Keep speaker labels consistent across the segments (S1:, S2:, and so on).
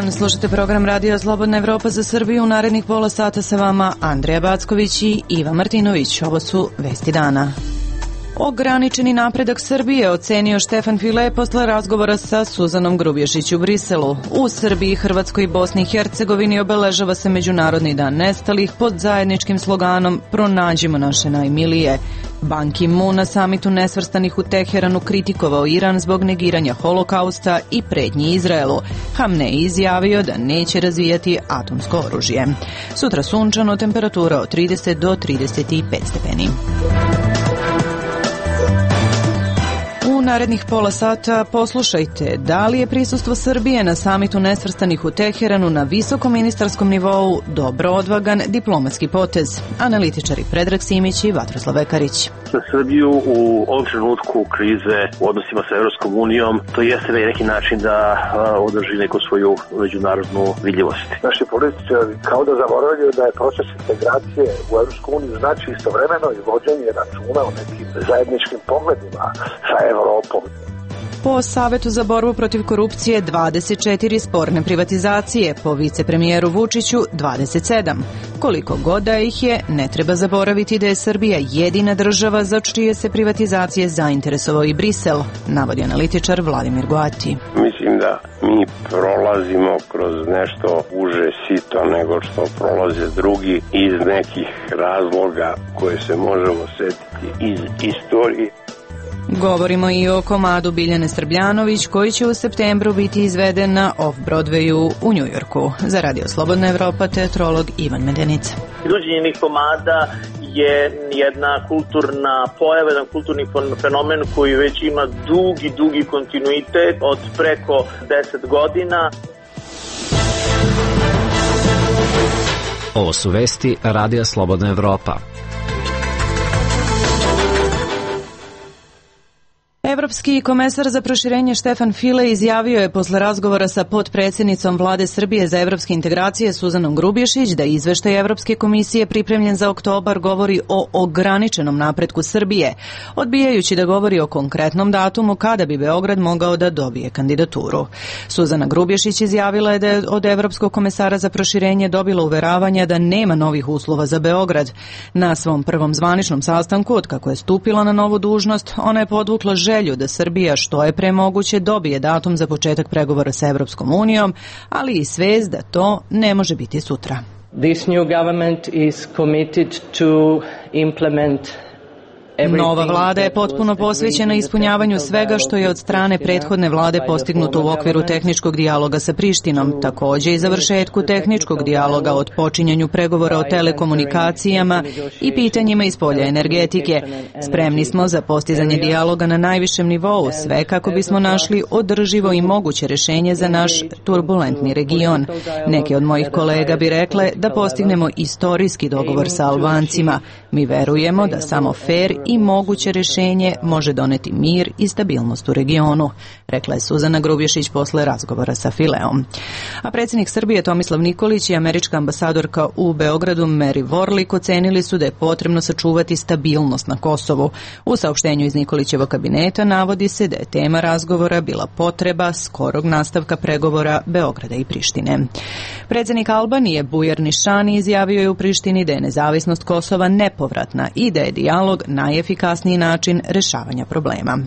S1: dan, slušate program Radio Slobodna Evropa za Srbiju. U narednih pola sata sa vama Andrija Backović i Iva Martinović. Ovo su vesti dana. Ograničeni napredak Srbije ocenio Štefan File posle razgovora sa Suzanom Grubješić u Briselu. U Srbiji, Hrvatskoj i Bosni i Hercegovini obeležava se Međunarodni dan nestalih pod zajedničkim sloganom Pronađimo naše najmilije. Ban Ki-moon na samitu nesvrstanih u Teheranu kritikovao Iran zbog negiranja holokausta i pretnji Izraelu. Hamnej izjavio da neće razvijati atomsko oružje. Sutra sunčano, temperatura od 30 do 35 stepeni. U narednih pola sata poslušajte da li je prisustvo Srbije na samitu nesvrstanih u Teheranu na visokom ministarskom nivou dobro odvagan diplomatski potez. Analitičari Predrag Simić i Vatroslav Vekarić.
S2: Za Srbiju u ovom trenutku krize u odnosima sa Evropskom unijom to jeste na neki način da održi neku svoju međunarodnu vidljivost.
S3: Naši političari kao da zaboravljaju da je proces integracije u Evropsku uniju znači istovremeno i vođenje računa o nekim zajedničkim pogledima sa Evropom.
S1: Po Savetu za borbu protiv korupcije 24 sporne privatizacije, po vicepremijeru Vučiću 27. Koliko god da ih je, ne treba zaboraviti da je Srbija jedina država za čije se privatizacije zainteresovao i Brisel, navodi analitičar Vladimir Goati.
S4: Mislim da mi prolazimo kroz nešto uže sito nego što prolaze drugi iz nekih razloga koje se možemo setiti iz istorije.
S1: Govorimo i o komadu Biljane Srbljanović koji će u septembru biti izveden na Off-Broadwayu u Njujorku. Za Radio Slobodna Evropa teatrolog Ivan Medenica.
S5: Izvođenje komada je jedna kulturna pojava, jedan kulturni fenomen koji već ima dugi kontinuitet od preko 10 godina.
S6: Ovo su vesti Radija Slobodna Evropa.
S1: Evropski komesar za proširenje Štefan File izjavio je posle razgovora sa potpredsjednicom Vlade Srbije za evropske integracije Suzanom Grubješić da izveštaj Evropske komisije pripremljen za oktobar govori o ograničenom napretku Srbije, odbijajući da govori o konkretnom datumu kada bi Beograd mogao da dobije kandidaturu. Suzana Grubješić izjavila je da je od Evropskog komesara za proširenje dobila uveravanja da nema novih uslova za Beograd. Na svom prvom zvaničnom sastanku, od kako je stupila na novu dužnost, ona je podvukla želju da Srbija što je pre moguće dobije datum za početak pregovora sa Evropskom unijom, ali i svest da to ne može biti sutra.
S7: This new government is committed to implement.
S1: Nova vlada je potpuno posvećena ispunjavanju svega što je od strane prethodne vlade postignuto u okviru tehničkog dijaloga sa Prištinom, takođe i završetku tehničkog dijaloga od počinjanju pregovora o telekomunikacijama i pitanjima iz polja energetike. Spremni smo za postizanje dijaloga na najvišem nivou, sve kako bismo našli održivo i moguće rešenje za naš turbulentni region. Neke od mojih kolega bi rekle da postignemo istorijski dogovor sa Albancima. Mi verujemo da samo fair i moguće rešenje može doneti mir i stabilnost u regionu, rekla je Suzana Grubješić posle razgovora sa Fileom. A predsjednik Srbije Tomislav Nikolić i američka ambasadorka u Beogradu Mary Warlick ocenili su da je potrebno sačuvati stabilnost na Kosovu. U saopštenju iz Nikolićevog kabineta navodi se da je tema razgovora bila potreba skorog nastavka pregovora Beograda i Prištine. Predsjednik Albanije Bujar Nišani izjavio je u Prištini da je nezavisnost Kosova nepovratna i da je dijalog najefikasniji način rešavanja problema.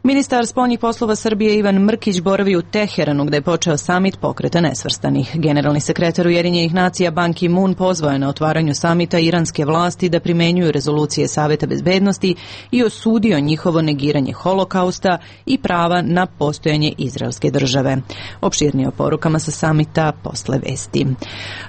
S1: Ministar spoljnih poslova Srbije Ivan Mrkić boravi u Teheranu gde je počeo samit Pokreta nesvrstanih. Generalni sekretar Ujedinjenih nacija Ban Ki-moon pozvao je na otvaranju samita iranske vlasti da primenjuju rezolucije Saveta bezbednosti i osudio njihovo negiranje holokausta i prava na postojanje izraelske države. Opširnije o porukama sa samita posle vesti.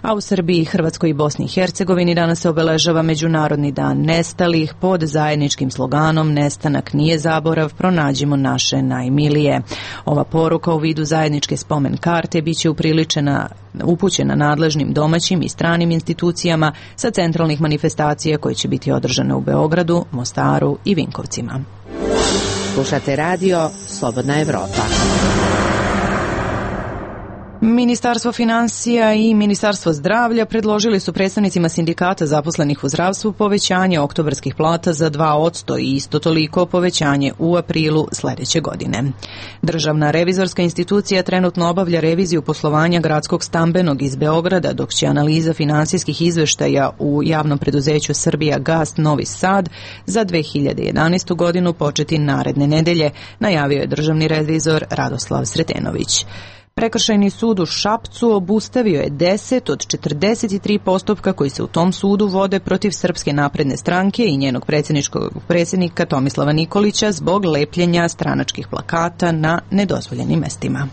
S1: A u Srbiji, Hrvatskoj i Bosni i Hercegovini danas se obeležava Međunarodni dan nestalih pod zajedničkim sloganom Nestanak nije zaborav, pronađimo naše najmilije. Ova poruka u vidu zajedničke spomen karte biće upućena nadležnim domaćim i stranim institucijama sa centralnih manifestacija koje će biti održane u Beogradu, Mostaru i Vinkovcima.
S8: Slušate radio Slobodna Evropa.
S1: Ministarstvo finansija i Ministarstvo zdravlja predložili su predstavnicima sindikata zaposlenih u zdravstvu povećanje oktobarskih plata za 2% i isto toliko povećanje u aprilu sledeće godine. Državna revizorska institucija trenutno obavlja reviziju poslovanja gradskog stambenog iz Beograda, dok će analiza finansijskih izveštaja u javnom preduzeću Srbijagas Novi Sad za 2011. godinu početi naredne nedelje, najavio je državni revizor Radoslav Sretenović. Prekršajni sud u Šapcu obustavio je 10 od 43 postupka koji se u tom sudu vode protiv Srpske napredne stranke i njenog predsjednika Tomislava Nikolića zbog lepljenja stranačkih plakata na nedozvoljenim mestima.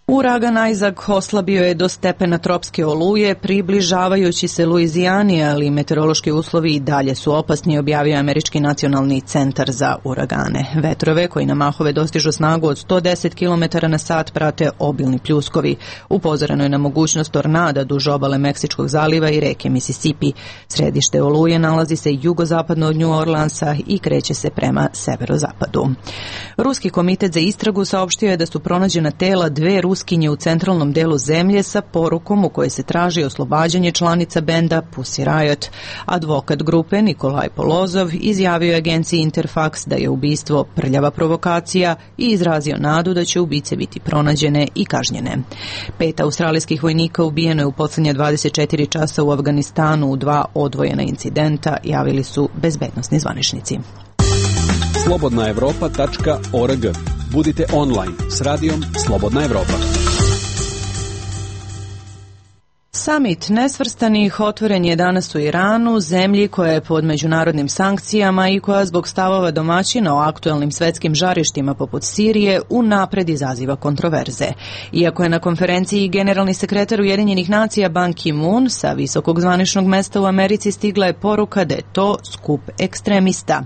S1: Uragan Isaac oslabio je do stepena tropske oluje, približavajući se Luizijani, ali meteorološki uslovi i dalje su opasni, objavio Američki nacionalni centar za uragane. Vetrove koji na mahove dostižu snagu od 110 km na sat prate obilni pljuskovi. Upozoreno je na mogućnost tornada duž obale Meksičkog zaliva i reke Mississippi. Središte oluje nalazi se jugozapadno od New Orleansa i kreće se prema severozapadu. Ruski komitet za istragu saopštio je da su pronađena tela dve Ruskinje u centralnom delu zemlje sa porukom u kojoj se traži oslobađanje članica benda Pussy Riot. Advokat grupe Nikolaj Polozov izjavio je agenciji Interfax da je ubistvo prljava provokacija i izrazio nadu da će ubice biti pronađene i kažnjene. 5 australijskih vojnika ubijeno je u posljednje 24 časa u Afganistanu u 2 odvojena incidenta, javili su bezbednosni zvaničnici.
S8: slobodnaevropa.org. Budite online s radijom Slobodna Evropa.
S1: Samit nesvrstanih otvoren je danas u Iranu, zemlji koja je pod međunarodnim sankcijama i koja zbog stavova domaćina o aktuelnim svetskim žarištima poput Sirije unapred izaziva kontroverze. Iako je na konferenciji generalni sekretar Ujedinjenih nacija Ban Ki-moon sa visokog zvaničnog mesta u Americi, stigla je poruka da je to skup ekstremista.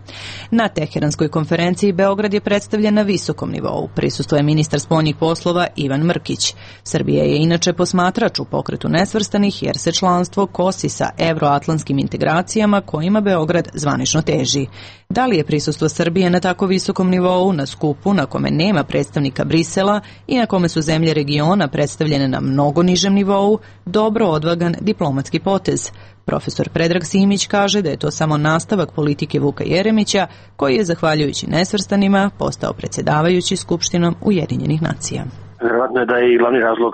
S1: Na Teheranskoj konferenciji Beograd je predstavljen na visokom nivou. Prisustvuje ministar spoljnih poslova Ivan Mrkić. Srbija je inače posmatrač u pokretu nesvrstanih jer se članstvo kosi sa evroatlantskim integracijama kojima Beograd zvanično teži. Da li je prisustvo Srbije na tako visokom nivou, na skupu na kome nema predstavnika Brisela i na kome su zemlje regiona predstavljene na mnogo nižem nivou, dobro odvagan diplomatski potez? Profesor Predrag Simić kaže da je to samo nastavak politike Vuka Jeremića, koji je, zahvaljujući nesvrstanima, postao predsjedavajući Skupštinom Ujedinjenih nacija.
S2: Vjerojatno je da je i glavni razlog,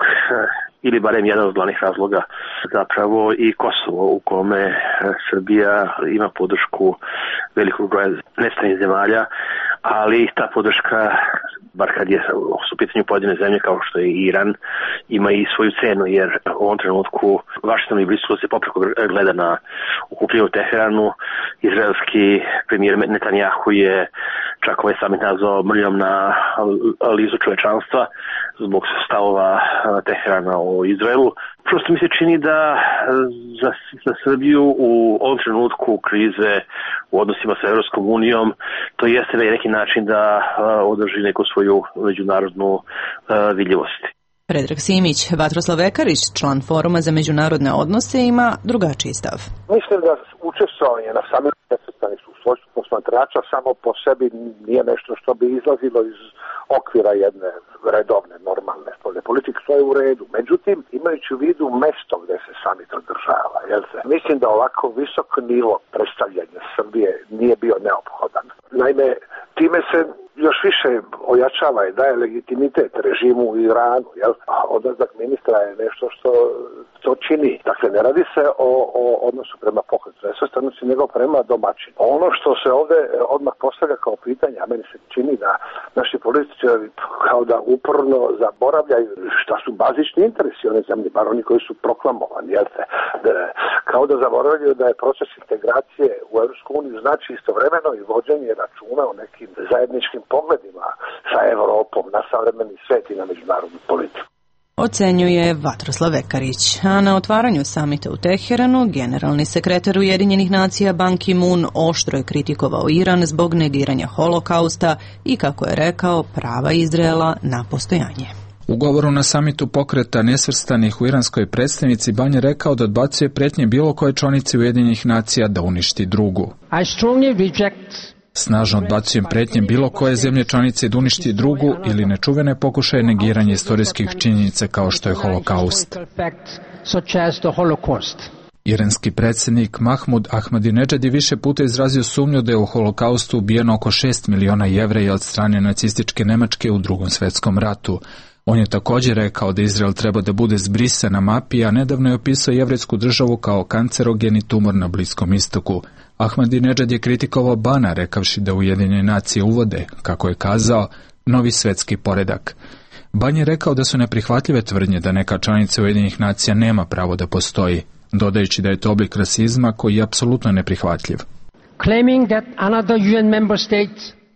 S2: ili barem jedan od glavnih razloga, zapravo i Kosovo, u kome Srbija ima podršku velikog broja nestranih zemalja, ali ta podrška, bar kad su u pitanju pojedine zemlje kao što je Iran, ima i svoju cenu, jer u ovom trenutku Vašington i Briselu se popreko gleda na okupljanje u Teheranu. Izraelski premijer Netanjahu je čak ovaj samit nazvao mrljom na lizu čovečanstva zbog stavova Teherana o Izraelu. Prosto mi se čini da za Srbiju u ovom trenutku krize u odnosima sa Evropskom unijom to jeste na neki način da održi neku svoju međunarodnu vidljivost.
S1: Predrag Simić. Vatroslav Vekarić, član Foruma za međunarodne odnose, ima drugačiji stav.
S3: Mislim da učestvovanje na samitu nesvrstanih u svojstvu posmatrača samo po sebi nije nešto što bi izlazilo iz okvira jedne redovne, normalne spoljne politike, što je u redu. Međutim, imajući u vidu mesto gde se samit održava, mislim da ovako visok nivo predstavljanja Srbije nije bio neophodan. Naime, time se još više ojačava i daje legitimitet režimu u Iranu, a odlazak ministra je nešto što to čini. Dakle, ne radi se o odnosu prema pokretu nesvrstanosti, nego prema domaćinu. Ono što se ovde odmah postavlja kao pitanje, a meni se čini da naši političari kao da uporno zaboravljaju šta su bazični interesi one zemlje, bar oni koji su proklamovani, kao da zaboravljaju da je proces integracije u Evropsku uniju znači istovremeno i vođenje računa o nekim zajedničkim pogledima sa Evropom na savremeni svet i na međunarodnu politiku.
S1: Ocenjuje Vatroslav Vekarić. A na otvaranju samita u Teheranu, generalni sekretar Ujedinjenih nacija Ban Ki-moon oštro je kritikovao Iran zbog negiranja holokausta i, kako je rekao, prava Izraela na postojanje.
S9: U govoru na samitu pokreta nesvrstanih u iranskoj predstavnici Ban je rekao da odbacuje pretnje bilo koje članice Ujedinjenih nacija da uništi drugu.
S10: I strongly reject
S9: Snažno odbacujem pretnje bilo koje zemlje članice da uništi drugu ili nečuvene pokušaje negiranja istorijskih činjenica kao što je Holokaust. Iranski predsjednik Mahmud Ahmadinejad je više puta izrazio sumnju da je u Holokaustu ubijeno oko 6 miliona Jevreja od strane nacističke Nemačke u Drugom svjetskom ratu. On je također rekao da Izrael treba da bude zbrisan na mapi, a nedavno je opisao jevrejsku državu kao kancerogeni tumor na Bliskom istoku. Ahmadinejad je kritikovao Bana, rekavši da Ujedinjene nacije uvode, kako je kazao, novi svjetski poredak. Ban je rekao da su neprihvatljive tvrdnje da neka članica Ujedinjenih nacija nema pravo da postoji, dodajući da je to oblik rasizma koji je apsolutno neprihvatljiv.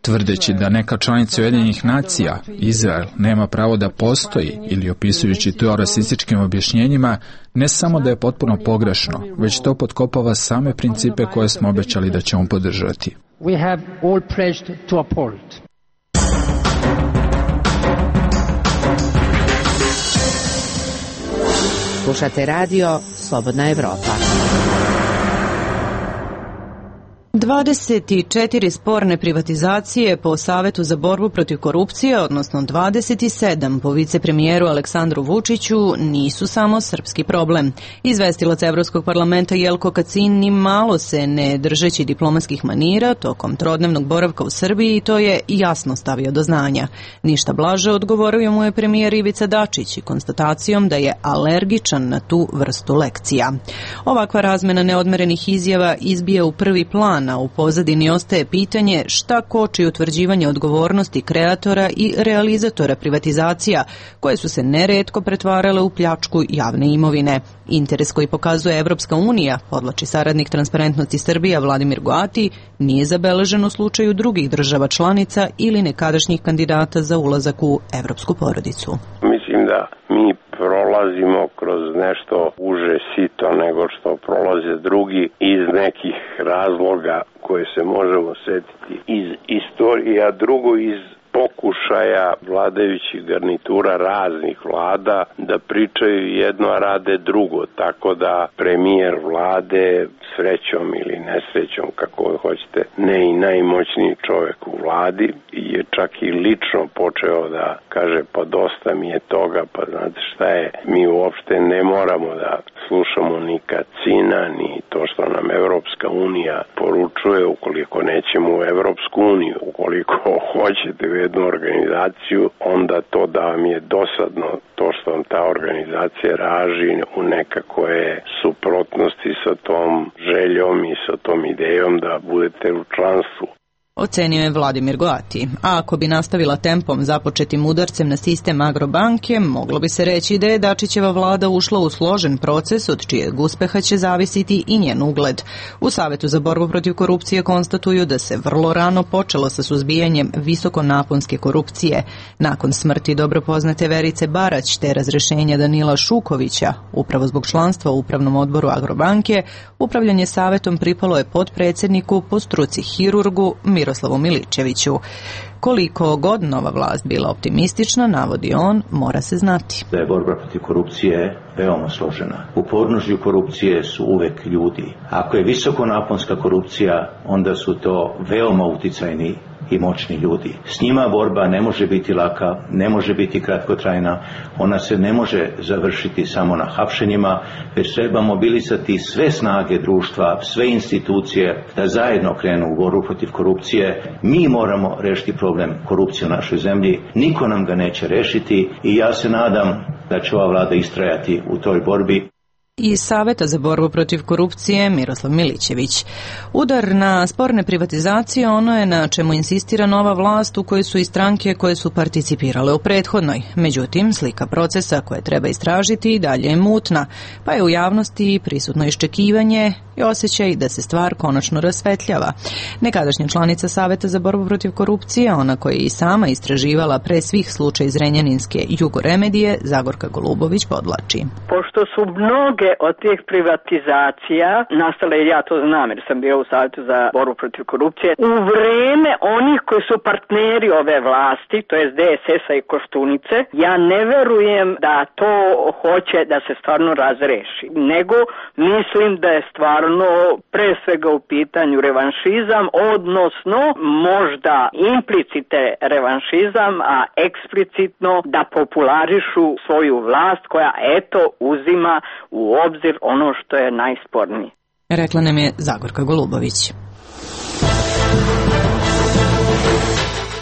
S9: Tvrdeći da neka članica Ujedinjenih nacija, Izrael, nema pravo da postoji ili opisujući to rasističkim objašnjenjima, ne samo da je potpuno pogrešno, već to potkopava same principe koje smo obećali da ćemo podržati.
S10: Slušate radio Slobodna Evropa.
S1: 24 sporne privatizacije po Savetu za borbu protiv korupcije, odnosno 27 po vicepremijeru Aleksandru Vučiću, nisu samo srpski problem. Izvestilac Evropskog parlamenta Jelko Kacin ni malo se ne držeći diplomatskih manira tokom trodnevnog boravka u Srbiji, to je jasno stavio do znanja. Ništa blaže odgovorio mu je premijer Ivica Dačić konstatacijom da je alergičan na tu vrstu lekcija. Ovakva razmena neodmerenih izjava izbija u prvi plan, a u pozadini ostaje pitanje šta koči utvrđivanje odgovornosti kreatora i realizatora privatizacija, koje su se neretko pretvarale u pljačku javne imovine. Interes koji pokazuje Evropska unija, podvlači saradnik Transparentnosti Srbija Vladimir Goati, nije zabeležen u slučaju drugih država članica ili nekadašnjih kandidata za ulazak u evropsku porodicu.
S4: Mislim da mi prolazimo kroz nešto uže sito nego što prolaze drugi iz nekih razloga koje se možemo setiti iz istorije, a drugo iz pokušaja vladajućih garnitura raznih vlada da pričaju jedno, a rade drugo, tako da premijer vlade srećom ili nesrećom, kako hoćete, ne i najmoćniji čovjek u vladi, je čak i lično počeo da kaže pa dosta mi je toga, pa znate šta je, mi uopšte ne moramo da slušamo ni Kacina, ni to što nam Evropska unija poručuje, ukoliko nećemo u Evropsku uniju, ukoliko hoćete u jednu organizaciju, onda to da vam je dosadno to što vam ta organizacija raži u nekakve suprotnosti sa tom željom i sa tom idejom da budete u članstvu.
S1: Ocenio je Vladimir Goati. A ako bi nastavila tempom započetim udarcem na sistem Agrobanke, moglo bi se reći da je Dačićeva vlada ušla u složen proces od čijeg uspeha će zavisiti i njen ugled. U Savetu za borbu protiv korupcije konstatuju da se vrlo rano počelo sa suzbijanjem visokonaponske korupcije. Nakon smrti dobro poznate Verice Barać te razrešenja Danila Šukovića, upravo zbog članstva u upravnom odboru Agrobanke, upravljanje savetom pripalo je potpredsjedniku po struci hirurgu Miroslavu Miličeviću. Koliko god nova vlast bila optimistična, navodi on, mora se znati.
S11: Da je borba protiv korupcije veoma složena. U podnožju korupcije su uvek ljudi. Ako je visokonaponska korupcija, onda su to veoma uticajni i moćni ljudi. S njima borba ne može biti laka, ne može biti kratkotrajna, ona se ne može završiti samo na hapšenjima, već treba mobilizati sve snage društva, sve institucije da zajedno krenu u borbu protiv korupcije. Mi moramo rešiti problem korupcije u našoj zemlji, niko nam ga neće rešiti i ja se nadam da će ova vlada istrajati u toj borbi.
S1: Iz Saveta za borbu protiv korupcije Miroslav Milićević. Udar na sporne privatizacije ono je na čemu insistira nova vlast u kojoj su i stranke koje su participirale u prethodnoj. Međutim, slika procesa koje treba istražiti i dalje je mutna, pa je u javnosti prisutno iščekivanje i osjećaj da se stvar konačno rasvetljava. Nekadašnja članica Saveta za borbu protiv korupcije, ona koja je i sama istraživala pre svih slučaj iz Renjaninske Jugoremedije, Zagorka Golubović podvlači.
S12: Pošto su mnoge od tih privatizacija nastale, ja to znam jer sam bio u Savetu za borbu protiv korupcije, u vreme onih koji su partneri ove vlasti, to je DSS-a i Koštunice, ja ne verujem da to hoće da se stvarno razreši, nego mislim da je stvarno sigurno pre svega u pitanju revanšizam, odnosno možda implicite revanšizam, a eksplicitno da popularišu svoju vlast koja eto uzima u obzir ono što je najspornije.
S1: Rekla nam je Zagorka Golubović.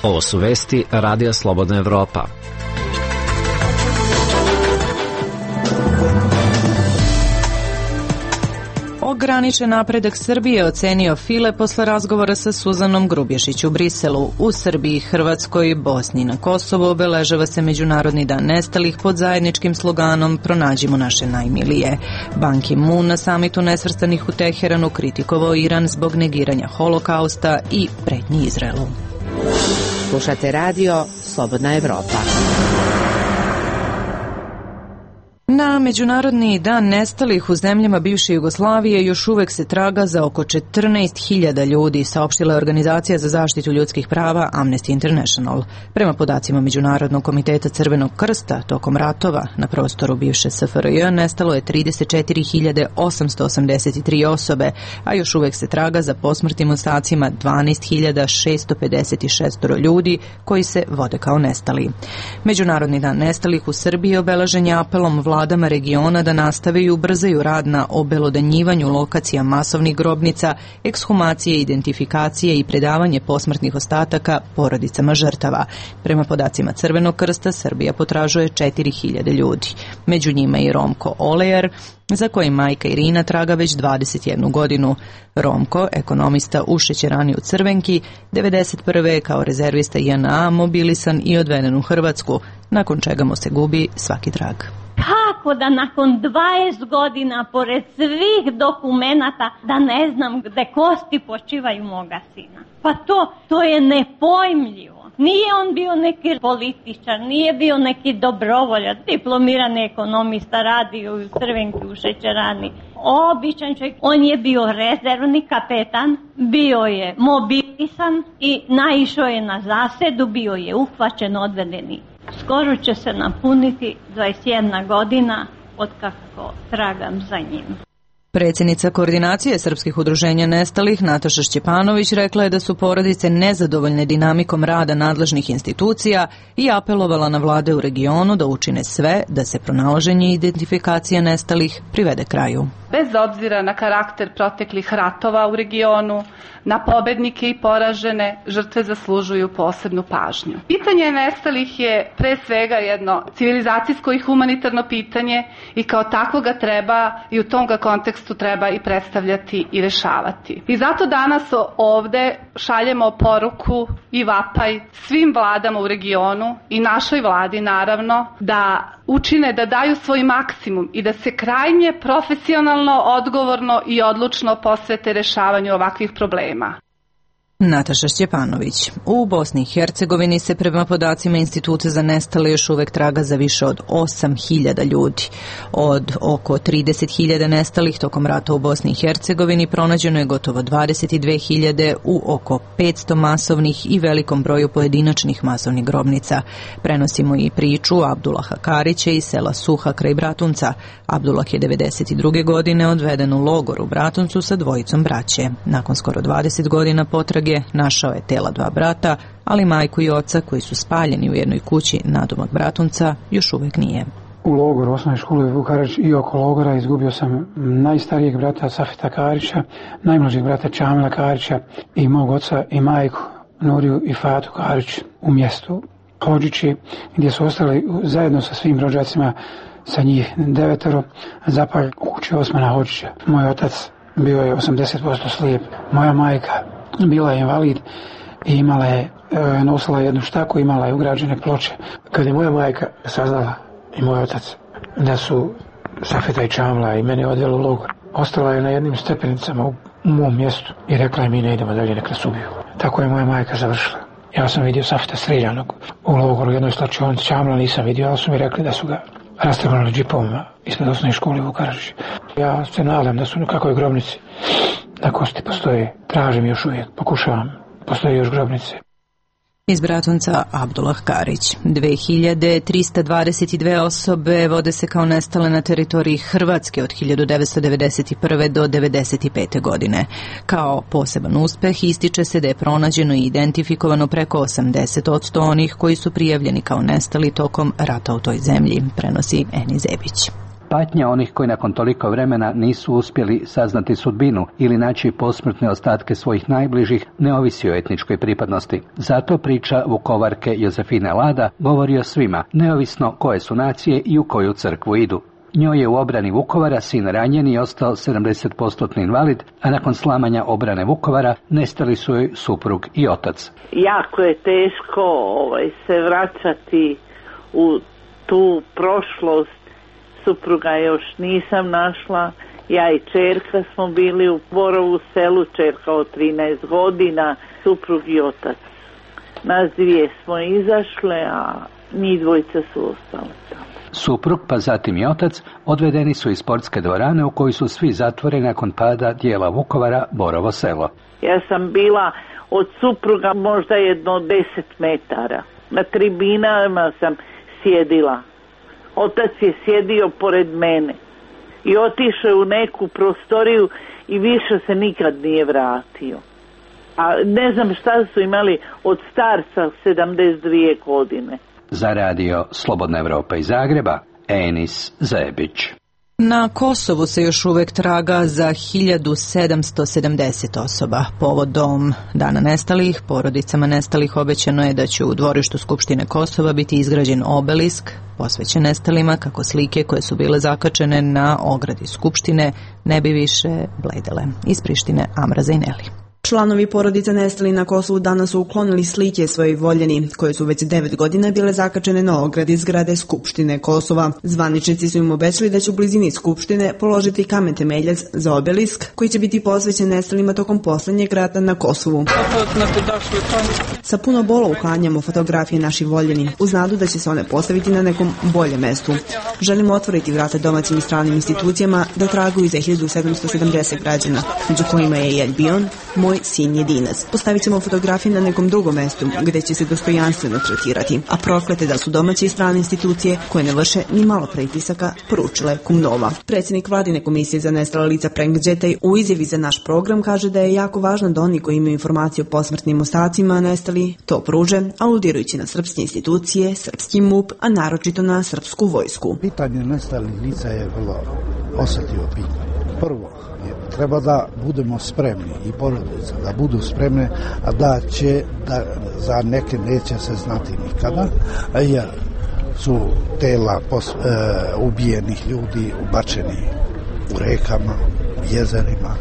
S6: Ovo su vesti Radija Slobodna Evropa.
S1: Ograničen napredak Srbije ocenio File posle razgovora sa Suzanom Grubješić u Briselu. U Srbiji, Hrvatskoj, Bosni i na Kosovu obeležava se Međunarodni dan nestalih pod zajedničkim sloganom Pronađimo naše najmilije. Ban Ki-moon na samitu nesvrstanih u Teheranu kritikovao Iran zbog negiranja holokausta i pretnji Izraelu.
S10: Slušate radio Slobodna Evropa.
S1: Na Međunarodni dan nestalih u zemljama bivše Jugoslavije još uvek se traga za oko 14.000 ljudi, saopštila je Organizacija za zaštitu ljudskih prava Amnesty International. Prema podacima Međunarodnog komiteta Crvenog krsta, tokom ratova na prostoru bivše SFRJ nestalo je 34.883 osobe, a još uvek se traga za posmrtnim ostacima 12.656 ljudi koji se vode kao nestali. Međunarodni dan nestalih u Srbiji obeležen je apelom vladama regiona da nastave i ubrzaju rad na obelodanjivanju lokacija masovnih grobnica, ekshumacije, identifikacije i predavanje posmrtnih ostataka porodicama žrtava. Prema podacima Crvenog krsta, Srbija potražuje 4.000 ljudi. Među njima i Romko Olejar, za kojim majka Irina traga već 21 godinu. Romko, ekonomista u šećerani u Crvenki, 1991. je kao rezervista JNA mobilisan i odveden u Hrvatsku, nakon čega mu se gubi svaki trag.
S13: Kako da nakon 20 godina, pored svih dokumenata, da ne znam gde kosti počivaju moga sina? Pa to je nepojmljivo. Nije on bio neki političar, nije bio neki dobrovoljac, diplomirani ekonomista, radio u Crvenki u šećerani. Običan čovjek, on je bio rezervni kapetan, bio je mobilisan i naišao je na zasedu, bio je uhvaćen, odvedeni. Skoro će se napuniti 21 godina od kako tragam za njim.
S1: Predsjednica Koordinacije srpskih udruženja nestalih Nataša Šćepanović rekla je da su porodice nezadovoljne dinamikom rada nadležnih institucija i apelovala na vlade u regionu da učine sve da se pronalaženje i identifikacija nestalih privede kraju.
S14: Bez obzira na karakter proteklih ratova u regionu, na pobednike i poražene, žrtve zaslužuju posebnu pažnju. Pitanje nestalih je pre svega jedno civilizacijsko i humanitarno pitanje i kao takvo ga treba i u tom ga kontekstu treba i predstavljati i rešavati. I zato danas ovde šaljemo poruku i vapaj svim vladama u regionu i našoj vladi naravno da učine, da daju svoj maksimum i da se krajnje profesionalno, odgovorno i odlučno posvete rešavanju ovakvih problema.
S1: Nataša Šćepanović. U Bosni i Hercegovini se prema podacima Instituta za nestale još uvek traga za više od 8.000 ljudi. Od oko 30.000 nestalih tokom rata u Bosni i Hercegovini pronađeno je gotovo 22.000 u oko 500 masovnih i velikom broju pojedinačnih masovnih grobnica. Prenosimo i priču Abdulaha Karića iz sela Suha kraj Bratunca. Abdulah je 92. godine odveden u logor u Bratuncu sa dvojicom braće. Nakon skoro 20 godina potrage našao je tela dva brata, ali majku i oca koji su spaljeni u jednoj kući nadomak Bratunca još uvek nije.
S15: U logoru osnovne škole Vuk Karadžić i oko logora izgubio sam najstarijeg brata Safeta Karića, najmlađeg brata Čamila Karića i mog oca i majku Nuriju i Fatu Karić u mjestu Hodžići, gdje su ostali zajedno sa svim rođacima, sa njih 9 zapalj u kući Osmana Hodžića. Moj otac bio je 80% slijep, moja majka bila je invalid i imala je, nosila jednu štaku, imala je ugrađene ploče. Kad je moja majka saznala i moj otac da su Safeta i Čamla i mene odveli u logor, ostala je na jednim stepenicama u mom mjestu i rekla je mi ne idemo dalje, nek nas ubiju. Tako je moja majka završila. Ja sam vidio Safeta streljanog u logoru u jednoj slačionici, Čamla nisam vidio, ali su mi rekli da su ga rastrgnuli džipovima ispred osnovne škole Vuk Karadžić. Ja se nadam da su na kakvoj grobnici na kosti postoje, tražim još uvijek, pokušavam, postoje još grobnice.
S1: Iz Bratunca Abdullah Karić. 2322 osobe vode se kao nestale na teritoriji Hrvatske od 1991. do 1995. godine. Kao poseban uspeh ističe se da je pronađeno i identifikovano preko 80% onih koji su prijavljeni kao nestali tokom rata u toj zemlji, prenosi Eni Zebić.
S16: Patnja onih koji nakon toliko vremena nisu uspjeli saznati sudbinu ili naći posmrtne ostatke svojih najbližih ne ovisi o etničkoj pripadnosti. Zato priča Vukovarke Jozefine Lada govori o svima, neovisno koje su nacije i u koju crkvu idu. Njoj je u obrani Vukovara sin ranjen i ostao 70% invalid, a nakon slamanja obrane Vukovara nestali su joj suprug i otac.
S17: Jako je teško se vraćati u tu prošlost. Supruga još nisam našla, ja i čerka smo bili u Borovu selu, čerka od 13 godina, suprug i otac. Nas dvije smo izašle, a mi dvojica su ostale tamo.
S16: Suprug, pa zatim i otac, odvedeni su iz sportske dvorane u kojoj su svi zatvoreni nakon pada dijela Vukovara Borovo selo.
S17: Ja sam bila od supruga možda jedno 10 metara. Na tribinama sam sjedila. Otac je sjedio pored mene i otišao u neku prostoriju i više se nikad nije vratio. A ne znam šta su imali od starca 72 godine.
S16: Za radio Slobodna Evropa iz Zagreba, Enis Zebić.
S1: Na Kosovu se još uvek traga za 1770 osoba. Povodom Dana nestalih, porodicama nestalih obećano je da će u dvorištu Skupštine Kosova biti izgrađen obelisk posvećen nestalima kako slike koje su bile zakačene na ogradi Skupštine ne bi više bledele. Iz Prištine Amra Zajneli.
S18: Članovi porodica nestali na Kosovu danas su uklonili slike svojih voljeni, koje su već 9 godina bile zakačene na ogradi zgrade Skupštine Kosova. Zvaničnici su im obećali da će u blizini Skupštine položiti kamen temeljac za obelisk, koji će biti posvećen nestalima tokom poslednjeg rata na Kosovu. Sa puno bola uklanjamo fotografije naših voljeni, uz nadu da će se one postaviti na nekom boljem mestu. Želimo otvoriti vrata domaćim i stranim institucijama da traguju za 1770 građana, među kojima je i Elbion, moj sin jedinac. Postavit ćemo fotografije na nekom drugom mestu gde će se dostojanstveno tretirati, a proklete da su domaće i strane institucije koje ne vrše ni malo pritisaka, poručile Kumnova. Predsjednik vladine komisije za nestala lica Prenk Džetaj u izjavi za naš program kaže da je jako važno da oni koji imaju informacije o posmrtnim ostacima nestali to pruže, aludirajući na srpske institucije, srpski MUP, a naročito na srpsku vojsku.
S19: Pitanje nestalih lica je vrlo osjetljivo pitanje. Prvo, treba da budemo spremni i porodice da budu spremne, a da za neke neće se znati nikada, jer su tela ubijenih ljudi ubačeni u rekama, jezerima.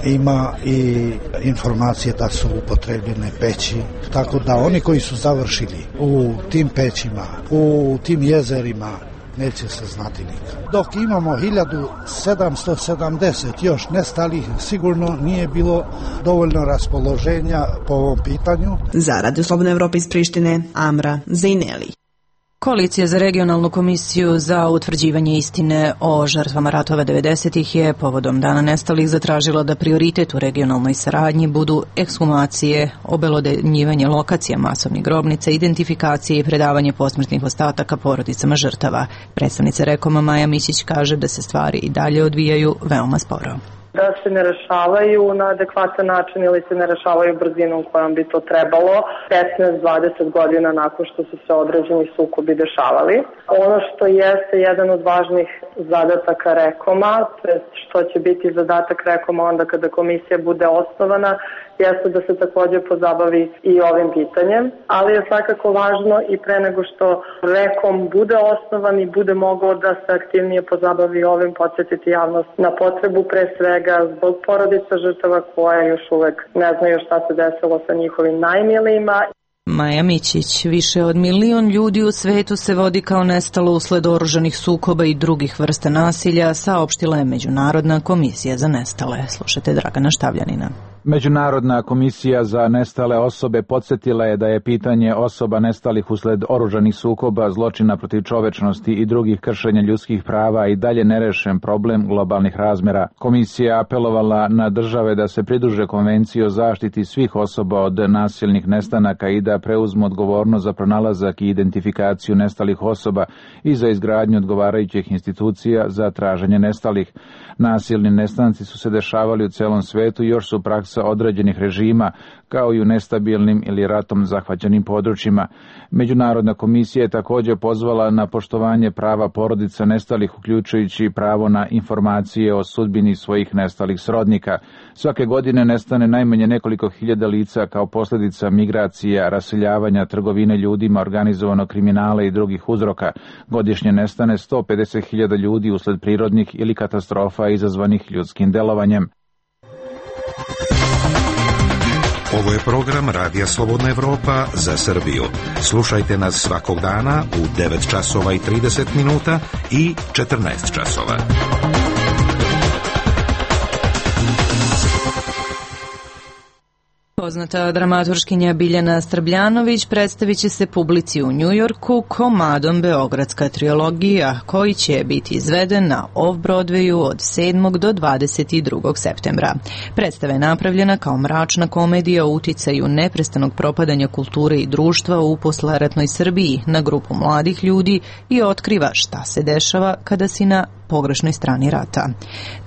S19: Ima i informacije da su upotrebljene peći, tako da oni koji su završili u tim pećima, u tim jezerima, neće se znati nikad. Dok imamo 1770 još nestalih, sigurno nije bilo dovoljno raspoloženja po ovom pitanju.
S18: Za Radio Slobodna Evropa iz Prištine, Amra Zajneli.
S1: Koalicija za regionalnu komisiju za utvrđivanje istine o žrtvama ratova 90-ih je povodom Dana nestalih zatražila da prioritet u regionalnoj saradnji budu ekshumacije, obelodanjivanje lokacija masovnih grobnica, identifikacije i predavanje posmrtnih ostataka porodicama žrtava. Predstavnica Rekoma Maja Mićić kaže da se stvari i dalje odvijaju veoma sporo.
S20: Da se ne rešavaju na adekvatan način ili se ne rešavaju brzinom kojom bi to trebalo 15-20 godina nakon što su se određeni sukobi dešavali. Ono što jeste jedan od važnih zadataka Rekoma, što će biti zadatak Rekoma onda kada komisija bude osnovana, jeste da se također pozabavi i ovim pitanjem, ali je svakako važno i pre nego što Rekom bude osnovan i bude mogao da se aktivnije pozabavi ovim, podsjetiti javnost na potrebu pre svega zbog porodica žrtava koje još uvek ne znaju šta se desilo sa njihovim najmilijima.
S1: Maja Mićić, više od 1 milion ljudi u svetu se vodi kao nestalo usled oružanih sukoba i drugih vrsta nasilja, saopštila je Međunarodna komisija za nestale. Slušajte Dragana Štavljanina.
S21: Međunarodna komisija za nestale osobe podsjetila je da je pitanje osoba nestalih usled oružanih sukoba, zločina protiv čovečnosti i drugih kršenja ljudskih prava i dalje nerešen problem globalnih razmera. Komisija apelovala na države da se pridruže konvenciji o zaštiti svih osoba od nasilnih nestanaka i da preuzmu odgovornost za pronalazak i identifikaciju nestalih osoba i za izgradnju odgovarajućih institucija za traženje nestalih. Nasilni nestanci su se dešavali u celom svetu i još su praksa određenih režima, kao i u nestabilnim ili ratom zahvaćenim područjima. Međunarodna komisija je također pozvala na poštovanje prava porodica nestalih, uključujući pravo na informacije o sudbini svojih nestalih srodnika. Svake godine nestane najmanje nekoliko hiljada lica kao posljedica migracija, raseljavanja, trgovine ljudima, organizovanog kriminala i drugih uzroka. Godišnje nestane 150.000 ljudi usled prirodnih ili katastrofa izazvanih ljudskim delovanjem.
S22: Ovo je program Radija Slobodna Evropa za Srbiju. Slušajte nas svakog dana u 9 časova i 30 minuta i 14 časova.
S1: Poznata dramaturškinja Biljana Srbljanović predstavit će se publici u Njujorku komadom Beogradska trilogija, koji će biti izveden na Off-Broadwayu od 7. do 22. septembra. Predstava je napravljena kao mračna komedija o uticaju neprestanog propadanja kulture i društva u posleratnoj Srbiji na grupu mladih ljudi i otkriva šta se dešava kada si na pogrešnoj strani rata.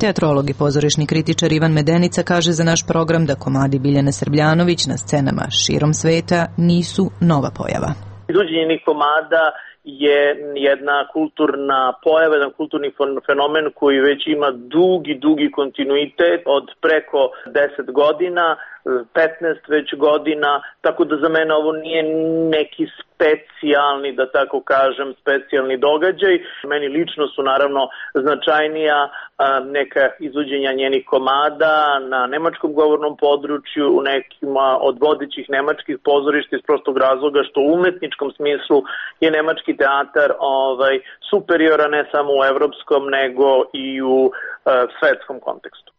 S1: Teatrolog i pozorišni kritičar Ivan Medenica kaže za naš program da komadi Biljane Srbljanović na scenama širom sveta nisu nova pojava.
S5: Izvođenje komada je jedna kulturna pojava, jedan kulturni fenomen koji već ima dugi kontinuitet od preko 10 godina, 15 već godina, tako da za mene ovo nije neki specijalni, da tako kažem, specijalni događaj. Meni lično su naravno značajnija neka izvođenja njenih komada na nemačkom govornom području, u nekima od vodećih nemačkih pozorišta iz prostog razloga što u umetničkom smislu je nemački teatar superioran ne samo u evropskom nego i u svetskom kontekstu.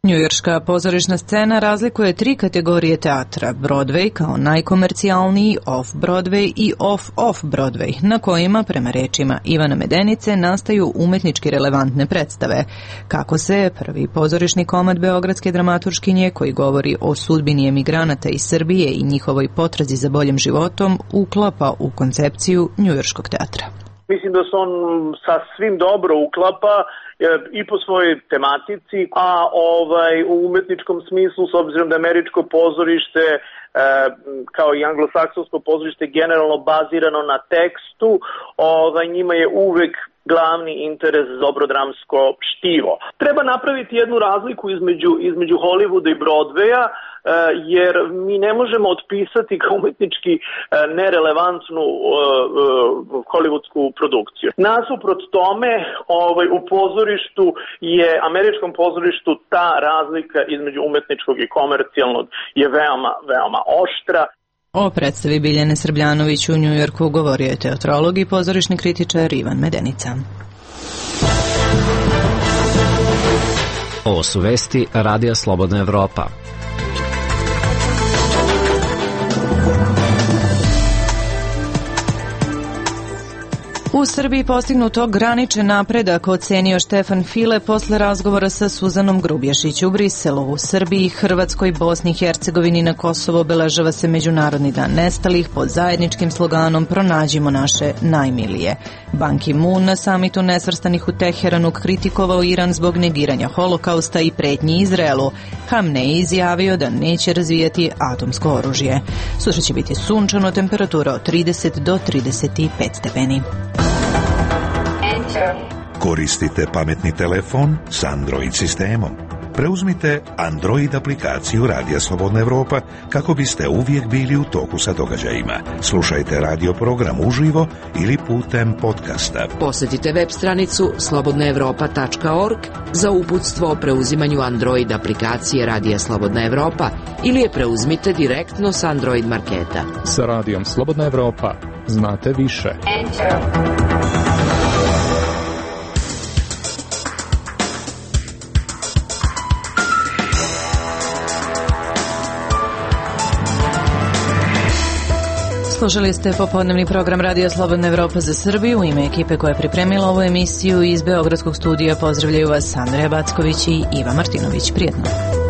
S1: Njujorška pozorišna scena razlikuje 3 kategorije teatra: Broadway kao najkomercijalniji, Off-Broadway i Off-Broadway, na kojima, prema rečima Ivana Medenice, nastaju umetnički relevantne predstave. Kako se prvi pozorišni komad beogradske dramaturškinje, koji govori o sudbini emigranata iz Srbije i njihovoj potrazi za boljim životom, uklapa u koncepciju njujorškog teatra?
S5: Mislim da se on sasvim dobro uklapa i po svojoj tematici, a u umetničkom smislu, s obzirom da američko pozorište kao i anglosaksonsko pozorište generalno bazirano na tekstu, njima je uvek glavni interes dobro dramsko štivo. Treba napraviti jednu razliku između Hollywooda i Broadwaya, jer mi ne možemo otpisati kao umetnički nerelevantnu hollywoodsku produkciju. Nasuprot tome, u pozorištu je, američkom pozorištu, ta razlika između umetničkog i komercijalnog je veoma oštra.
S1: O predstavi Biljane Srbljanović u Njujorku govorio je teatrolog i pozorišni kritičar Ivan Medenica.
S6: Ovo su vesti Radija Slobodna Evropa.
S1: U Srbiji postignut ograničen napredak, ocenio Štefan File posle razgovora sa Suzanom Grubješić u Briselu. U Srbiji, Hrvatskoj, Bosni i Hercegovini na Kosovo obeležava se Međunarodni dan nestalih pod zajedničkim sloganom Pronađimo naše najmilije. Ban Ki-moon na samitu nesvrstanih u Teheranu kritikovao Iran zbog negiranja holokausta i pretnji Izraelu. Hamnej izjavio da neće razvijati atomsko oružje. Sutra će biti sunčano, temperatura od 30 do 35 stepeni.
S22: Koristite pametni telefon s Android sistemom. Preuzmite Android aplikaciju Radija Slobodna Evropa kako biste uvijek bili u toku sa događajima. Slušajte radio program uživo ili putem podcasta.
S10: Posjetite web stranicu slobodnaevropa.org za uputstvo o preuzimanju Android aplikacije Radija Slobodna Evropa ili je preuzmite direktno s Android marketa.
S9: Sa Radijom Slobodna Evropa znate više.
S1: Slušali ste popodnevni program Radija Slobodna Evropa za Srbiju. U ime ekipe koja je pripremila ovu emisiju iz Beogradskog studija pozdravljaju vas Andreja Backović i Iva Martinović. Prijetno.